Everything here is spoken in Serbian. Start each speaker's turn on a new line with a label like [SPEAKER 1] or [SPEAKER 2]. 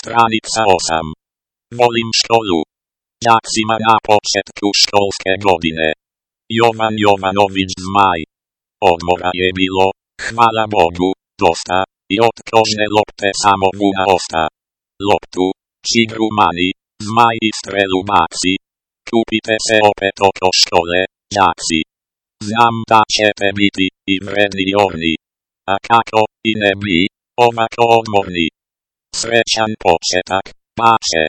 [SPEAKER 1] Stranica 8. Volim školu. Đacima na početku školske godine. Jovan Jovanović Zmaj. Odmora je bilo, hvala Bogu, dosta, i od kožne lopte samo vuna osta. Loptu, čigru mani, Zmaj i strelu baci. Kupite se opet oko škole, đaci. Znam da ćete biti i vredni i orni. A kako i ne bi, ovako odmorni. Srećan početak, pače.